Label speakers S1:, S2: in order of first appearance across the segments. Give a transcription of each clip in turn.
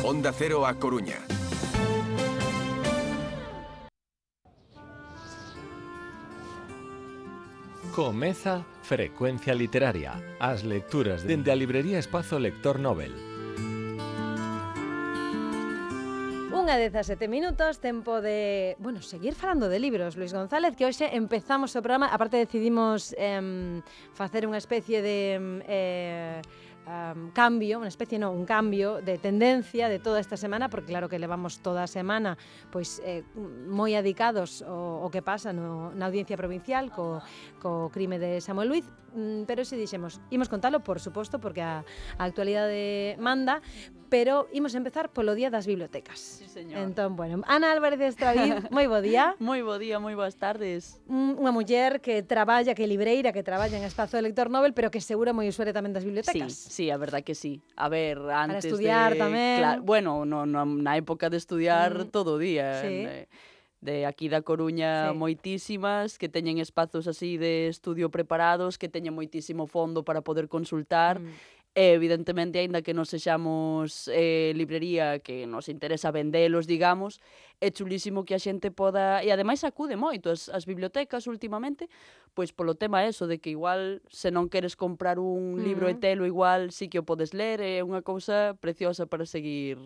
S1: Onda Cero A Coruña.
S2: Comeza Frecuencia Literaria, as lecturas dende a librería Espazo Lector Nobel.
S3: 1:17, tempo de, seguir falando de libros, Luis González, que hoxe empezamos o programa, aparte decidimos facer unha especie de cambio, un cambio de tendencia de toda esta semana, porque claro que levamos toda a semana pois moi adicados ao que pasa na Audiencia Provincial co crime de Samuel Luiz, pero se dixemos, imos contalo, por suposto, porque a actualidade manda, pero imos empezar polo Día das Bibliotecas.
S4: Sí, señor.
S3: Entón, Ana Álvarez de Estravín, moi bo día.
S4: Moi bo día, moi boas tardes.
S3: Unha muller que traballa, que é libreira, que traballa en Espazo Lector Nobel, pero que seguro moi usuaria tamén das bibliotecas.
S4: Sí, a verdad que sí. A ver, antes
S3: para estudiar
S4: de...
S3: tamén.
S4: Claro, na época de estudiar todo o día.
S3: Sí.
S4: De aquí da Coruña,
S3: Sí.
S4: moitísimas, que teñen espazos así de estudio preparados, que teñen moitísimo fondo para poder consultar. E, evidentemente, aínda que non sexamos librería que nos interesa vendelos, digamos, é chulísimo que a xente poda... E, ademais, acude moito as bibliotecas últimamente, pois polo tema eso, de que igual, se non queres comprar un libro e telo, igual sí que o podes ler, é unha cousa preciosa para seguir,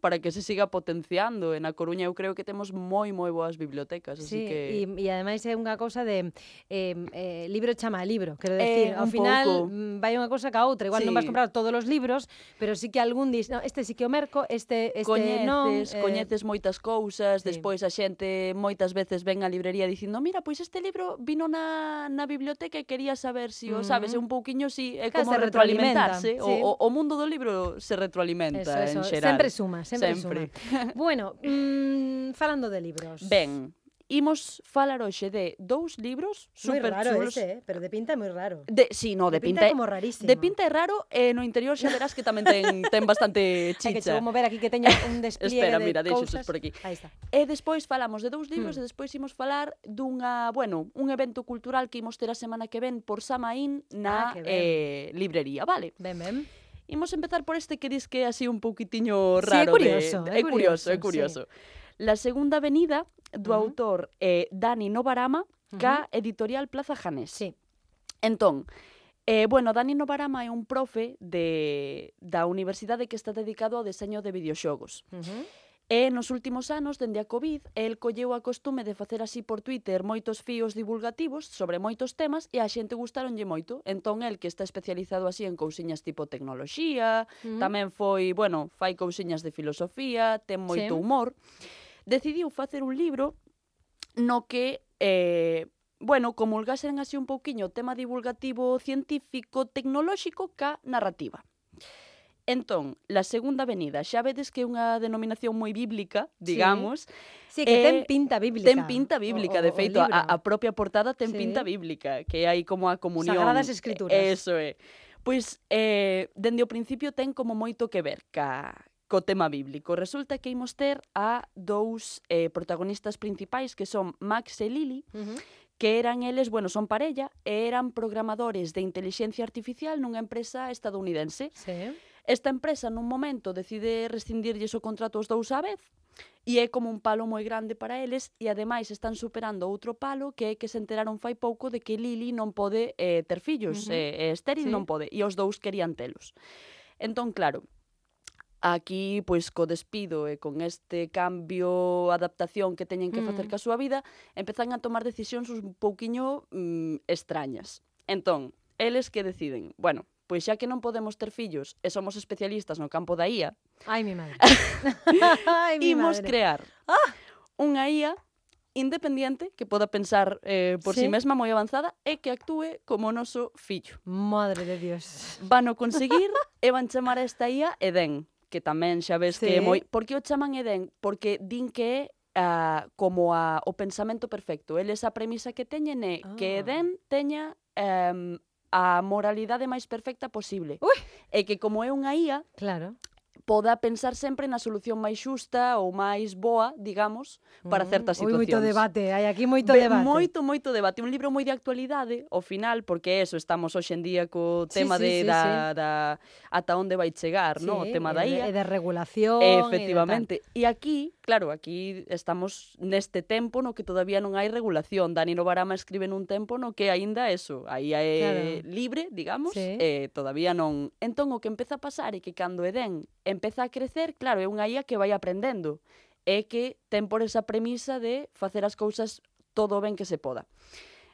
S4: para que se siga potenciando. E na Coruña eu creo que temos moi boas bibliotecas, así
S3: Sí,
S4: que...
S3: e ademais é unha cousa de libro chama a libro, quero decir, ao final vai unha cousa ca outra, igual non vas comprar todos os libros, pero sí que algún dis, no, este sí que o merco, este non.
S4: Coñeces moitas cousas, despois a xente moitas veces ven á librería dicindo, mira, pois este libro vino na biblioteca e quería saber se o sabes, é un pouquiño así, é como retroalimentarse,
S3: sí.
S4: O mundo do libro se retroalimenta en xeral.
S3: Sempre suma. Bueno, falando de libros.
S4: Ben, imos falar hoxe de 2 libros super chulos.
S3: Ese, pero de pinta é moi raro.
S4: De
S3: pinta é como rarísimo.
S4: De pinta é raro, e no interior xa verás que tamén ten bastante chicha.
S3: É que chegou mover aquí que teña un despliegue
S4: Espera,
S3: de
S4: mira,
S3: cousas.
S4: por aquí.
S3: Aí está.
S4: E despois falamos de 2 libros e despois imos falar un evento cultural que imos ter a semana que ven por Samaín na librería, vale?
S3: Ben.
S4: Imos empezar por este que dis que é así un pouquitiño raro.
S3: É
S4: curioso. La segunda avenida do autor Dani Novarama, ca editorial Plaza Janés.
S3: Sí.
S4: Entón, Dani Novarama é un profe da universidade que está dedicado ao deseño de videoxogos. E nos últimos anos, dende a COVID, el colleu a costume de facer así por Twitter moitos fíos divulgativos sobre moitos temas e a xente gustaronlle moito. Entón, el que está especializado así en cousiñas tipo tecnoloxía, tamén fai cousiñas de filosofía, ten moito humor, decidiu facer un libro no que, comulgasen así un pouquiño o tema divulgativo científico tecnolóxico ca narrativa. Entón, la segunda avenida, xa vedes que é unha denominación moi bíblica, digamos.
S3: Sí, que ten pinta bíblica.
S4: Ten pinta bíblica, de feito, a propia portada ten pinta bíblica, que hai como a comunión.
S3: Sagradas Escrituras.
S4: Eso é. Pois, dende o principio ten como moito que ver co tema bíblico. Resulta que imos ter a 2 protagonistas principais, que son Max e Lily, que eran eles, son parella, e eran programadores de inteligencia artificial nunha empresa estadounidense.
S3: Sí.
S4: Esta empresa nun momento decide rescindirlles o contrato os 2 á vez e é como un palo moi grande para eles e ademais están superando outro palo que é que se enteraron fai pouco de que Lily non pode ter fillos, estéril non pode, e os 2 querían telos. Entón, claro, aquí, pois, co despido e con este cambio, adaptación que teñen que facer ca súa vida, empezan a tomar decisións un pouquiño extrañas. Entón, eles que deciden, pois xa que non podemos ter fillos e somos especialistas no campo da IA,
S3: Ai, mi madre.
S4: imos crear unha IA independiente que poda pensar por si mesma moi avanzada e que actúe como o noso fillo.
S3: Madre de Dios.
S4: Vano conseguir e van chamar a esta IA Edén, que tamén xa ves que é moi... Por que o chaman Edén? Porque din que é como o pensamento perfecto. Eles a premisa que teñen é que Edén teña a moralidade máis perfecta posible.
S3: Ui.
S4: E que como é unha IA,
S3: claro,
S4: poda pensar sempre na solución máis xusta ou máis boa, digamos, para certas situacións.
S3: Moito debate, hai aquí moito debate.
S4: Moito debate. Un libro moi de actualidade, ao final, porque eso, estamos hoxe en día co tema
S3: sí.
S4: da ata onde vai chegar, no? O tema da IA.
S3: E de regulación.
S4: Efectivamente. E aquí, claro, aquí estamos neste tempo no que todavía non hai regulación. Dani Novarama escribe nun tempo no que aínda eso, a IA é libre, digamos, e todavía non. Entón, o que empeza a pasar é que cando Edén empeza a crecer, claro, é unha IA que vai aprendendo, é que ten por esa premisa de facer as cousas todo ben que se poda.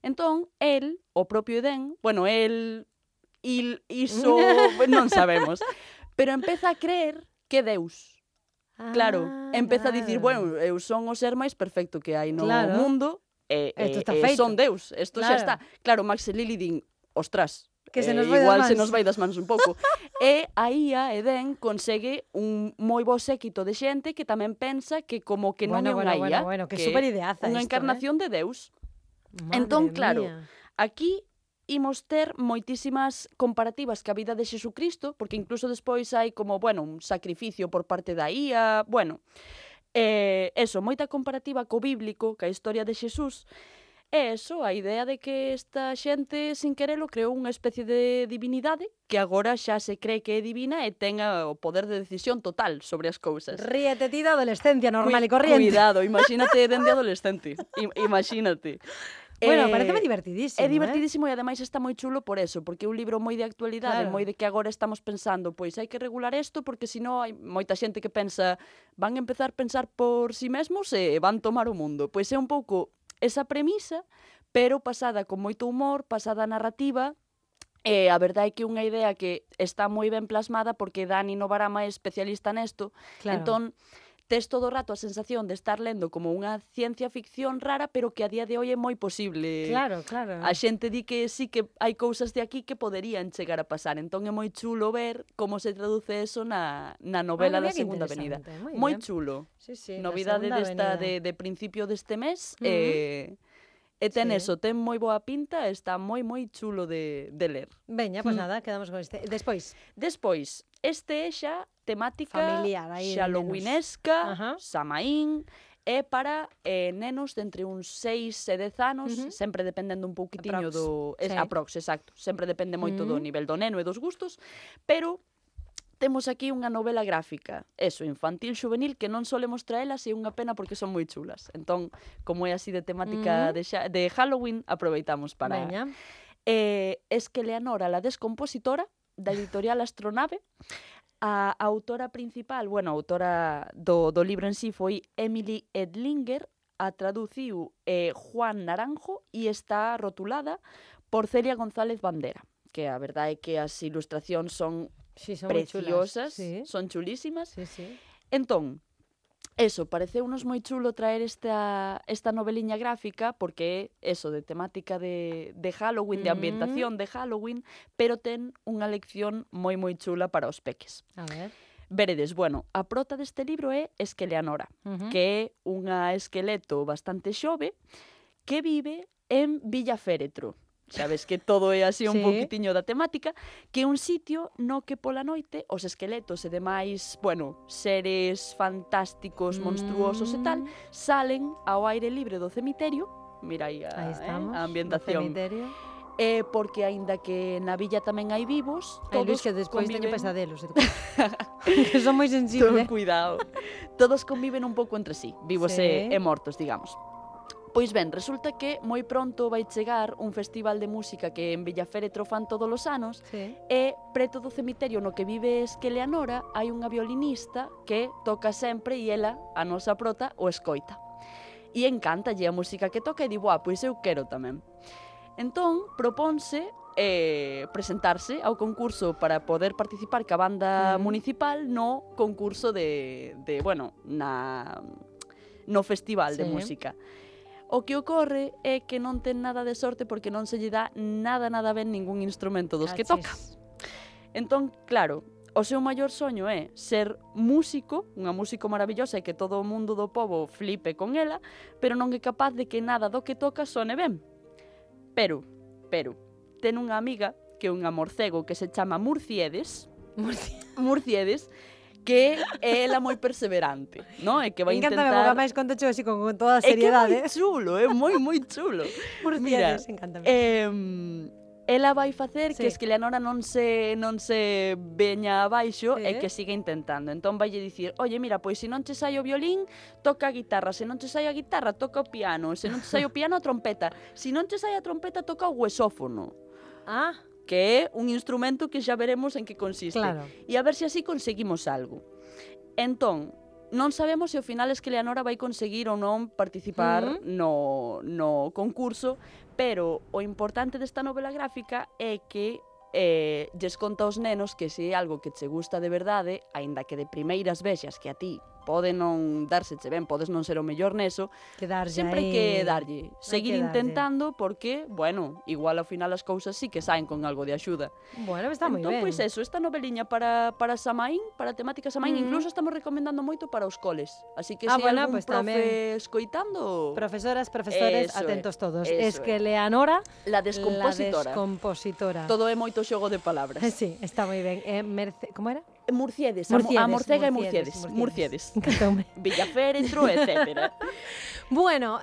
S4: Entón, el, o propio Edén, bueno, iso non sabemos, pero empeza a creer que Deus. Claro, empeza a dicir, bueno, eu son o ser máis perfecto que hai no mundo, e son Deus, isto xa está. Claro, Max e Lily din, ostras,
S3: que se nos
S4: igual se nos vai das mans un pouco. E a IA, Edén, consegue un moi bo séquito de xente que tamén pensa que como que non é unha IA,
S3: que super ideaza
S4: unha encarnación de Deus. Entón, claro, aquí imos ter moitísimas comparativas ca vida de Xesucristo, porque incluso despois hai como, bueno, un sacrificio por parte da IA, bueno, eso, moita comparativa co bíblico, ca historia de Xesús. É eso, a idea de que esta xente, sin querelo, creou unha especie de divinidade que agora xa se cree que é divina e ten o poder de decisión total sobre as cousas.
S3: Ríete ti da adolescencia normal e corriente.
S4: Cuidado, imagínate dende adolescente. Imagínate.
S3: Bueno, pareceme divertidísimo.
S4: É divertidísimo e ademais está moi chulo por eso, porque é un libro moi de actualidade, moi de que agora estamos pensando, pois hai que regular isto porque senón hai moita xente que pensa, van empezar a pensar por si mesmos e van tomar o mundo. Pois é un pouco esa premisa, pero pasada con moito humor, pasada narrativa, e a verdade é que é unha idea que está moi ben plasmada porque Dani Novarama é especialista nesto, entón tes todo o rato a sensación de estar lendo como unha ciencia ficción rara, pero que a día de hoy é moi posible.
S3: Claro.
S4: A xente di que sí que hai cousas de aquí que poderían chegar a pasar, entón é moi chulo ver como se traduce eso na novela da Segunda Avenida. Moi chulo. Novidade desta de principio deste mes, e ten eso, ten moi boa pinta, está moi chulo de ler.
S3: Veña, pois nada, quedamos con este. Despois,
S4: este é xa temática
S3: familiar,
S4: halloweenesca, Samaín, é para nenos de entre uns 6 e 10 anos, sempre dependendo un pouquitiño do... Aprox, exacto. Sempre depende moito do nivel do neno e dos gustos, pero temos aquí unha novela gráfica, eso, infantil, juvenil, que non solemos traelas e é unha pena porque son moi chulas. Entón, como é así de temática de Halloween, aproveitamos para...
S3: Veña.
S4: Es que Leonora, la descompositora, da editorial Astronave, a autora principal, bueno, a autora do libro en sí foi Emily Edlinger, a traduciu Juan Naranjo e está rotulada por Celia González Bandera, que a verdade é que as ilustracións son preciosas, son chulísimas. Entón, eso, pareceunos moi chulo traer esta noveliña gráfica porque é eso, de temática de Halloween, de ambientación de Halloween, pero ten unha lección moi chula para os peques.
S3: A ver.
S4: Veredes, bueno, a prota deste libro é Esqueleanora, que é unha esqueleto bastante xove que vive en Villaféretro. Sabes que todo é así un poquitiño da temática, que é un sitio no que pola noite os esqueletos e demais, bueno, seres fantásticos, monstruosos e tal, salen ao aire libre do cemiterio, mira aí a ambientación. Porque aínda que na villa tamén hai vivos, todos
S3: que despois teño pesadelos, que son moi sensibles.
S4: Cuidado. Todos conviven un pouco entre sí, vivos e mortos, digamos. Pois ben, resulta que moi pronto vai chegar un festival de música que en Villaféretro fan todos os anos e preto do cemiterio no que vive Esqueleanora hai unha violinista que toca sempre e ela, a nosa prota, o escoita. E encántalle a música que toca e di, pois eu quero tamén. Entón, propónse presentarse ao concurso para poder participar ca banda municipal no concurso no festival de música. O que ocorre é que non ten nada de sorte porque non se lle dá nada ben ningún instrumento dos que toca. Entón, claro, o seu maior soño é ser músico, unha músico maravillosa e que todo o mundo do pobo flipe con ela, pero non é capaz de que nada do que toca sone ben. Pero, ten unha amiga que é unha morcego que se chama Murciedes, que é ela moi perseverante, non? E que vai
S3: Encántame,
S4: intentar...
S3: porque máis conto xo así con toda a
S4: É que é
S3: seriedade.
S4: moi chulo, é moi chulo. Mira,
S3: Murciades, encántame.
S4: ela vai facer
S3: Sí.
S4: que Esqueleonora non se veña abaixo e
S3: Sí.
S4: que siga intentando. Entón vaille dicir, oye, mira, pois se non che sai o violín, toca a guitarra. Se non che sai a guitarra, toca o piano. Se non che sai o piano, a trompeta. Se non che sai a trompeta, toca o huesófono,
S3: Ah,
S4: que é un instrumento que xa veremos en que consiste.
S3: claro.
S4: E a ver se así conseguimos algo. Entón, non sabemos se ao final Esqueleonora vai conseguir ou non participar no concurso, pero o importante desta novela gráfica é que lles conta aos nenos que se é algo que che gusta de verdade, aínda que de primeiras vexas que a ti pode non darseche ben, podes non ser o mellor neso,
S3: Que darlle
S4: sempre hai
S3: aí.
S4: que darlle, seguir
S3: que darlle.
S4: intentando porque, bueno, igual ao final as cousas sí que saen con algo de axuda.
S3: Bueno, está moi
S4: Entón,
S3: ben.
S4: pois eso, esta noveliña para Samaín, para a temática Samaín, incluso estamos recomendando moito para os coles. Así que se
S3: bueno,
S4: algún
S3: pois
S4: profe escoitando,
S3: Profesoras, profesores,
S4: Eso é,
S3: atentos todos.
S4: eso
S3: Es que
S4: é.
S3: Leonora,
S4: la descompositora.
S3: la descompositora.
S4: Todo é moito xogo de palabras.
S3: Sí, está moi ben. Como era?
S4: Murciedes,
S3: Murciedes,
S4: a morcega e
S3: Murciedes,
S4: Murciedes.
S3: Encantoume.
S4: Villaféretro, etcétera.
S3: Bueno,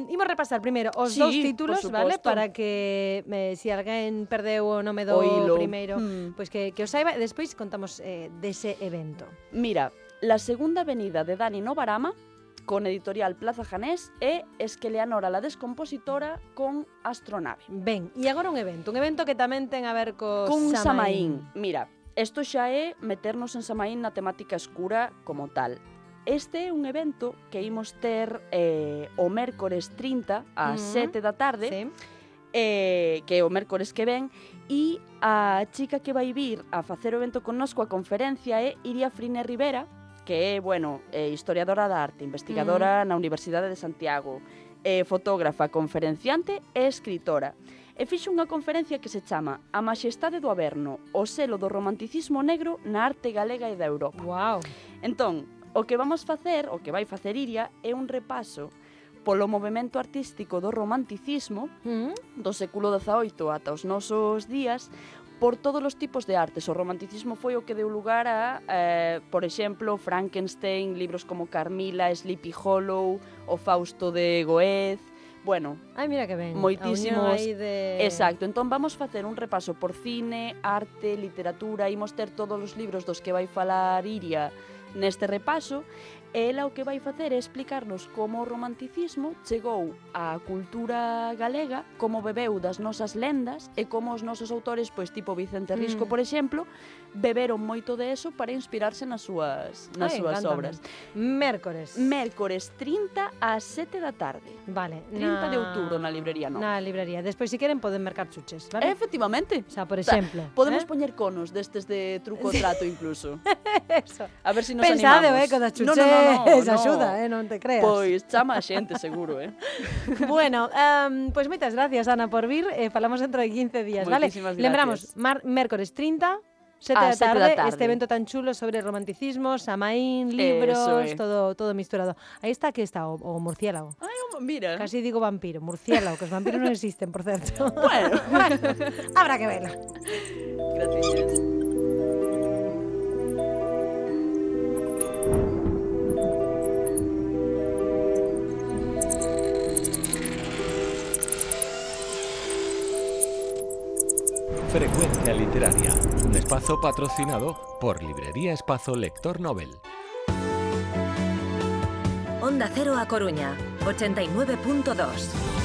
S3: imos repasar primeiro os
S4: Sí,
S3: dous
S4: por
S3: títulos,
S4: suposto.
S3: vale? Para que se alguén perdeu o nome do
S4: Oílo.
S3: primeiro, pois que o saiba, e despois contamos dese evento.
S4: Mira, La segunda avenida de Dani Novarama, con editorial Plaza Janés, e Esqueleonora la descompositora con Astronave.
S3: Ben, e agora un evento que tamén ten a ver co
S4: Con
S3: Samaín.
S4: Samaín. Mira, isto xa é meternos en Samaín na temática escura como tal. Este é un evento que imos ter o mércores 30 ás 7 da tarde,
S3: Sí.
S4: que é o mércores que ven, e a chica que vai vir a facer o evento connosco, a conferencia, é Iria Frine Rivera, que é, bueno, historiadora da arte, investigadora na Universidade de Santiago, fotógrafa, conferenciante e escritora. E fixo unha conferencia que se chama A Maxestade do Averno, o selo do romanticismo negro na arte galega e da Europa.
S3: Wow.
S4: Entón, o que vamos facer, o que vai facer Iria, é un repaso polo movimento artístico do romanticismo do século XVIII ata os nosos días, por todos os tipos de artes. O romanticismo foi o que deu lugar a, por exemplo, Frankenstein, libros como Carmila, Sleepy Hollow, o Fausto de Goethe, bueno,
S3: Ai, mira que ben.
S4: moitísimos...
S3: A unión aí de...
S4: Exacto, entón vamos facer un repaso por cine, arte, literatura, imos ter todos os libros dos que vai falar Iria neste repaso, e ela o que vai facer é explicarnos como o romanticismo chegou á cultura galega, como bebeu das nosas lendas e como os nosos autores, pois tipo Vicente Risco, por exemplo, beberon moito de eso para inspirarse nas súas
S3: Encántame.
S4: obras.
S3: Mércores.
S4: Mércores 30 ás 7 da tarde.
S3: Vale.
S4: 30 de outubro na librería Nova.
S3: Na librería. Despois, se queren, poden mercar chuches, vale?
S4: Efectivamente.
S3: O sea, por
S4: O sea,
S3: exemplo.
S4: podemos poñer conos destes de truco o trato incluso.
S3: Eso.
S4: A ver se nos
S3: Pensade,
S4: animamos.
S3: con das chuches,
S4: no.
S3: axuda, non te creas.
S4: Pois chama a xente, seguro,
S3: Bueno, pois moitas gracias, Ana, por vir. Falamos dentro de 15 días, vale?
S4: Moitísimas gracias.
S3: Lembramos, mércores 30, 7
S4: A
S3: da
S4: 7
S3: tarde,
S4: da tarde.
S3: este evento tan chulo sobre romanticismo, Samaín,
S4: Eso
S3: libros,
S4: é.
S3: todo misturado. Aí está, que está, o murciélago.
S4: Ai, mira.
S3: Casi digo vampiro, murciélago, que os vampiros non existen, por certo.
S4: Bueno,
S3: Habrá que verlo.
S4: gracias.
S2: Frecuencia Literaria, un espacio patrocinado por Librería Espazo Lector Nobel.
S1: Onda Cero A Coruña, 89.2.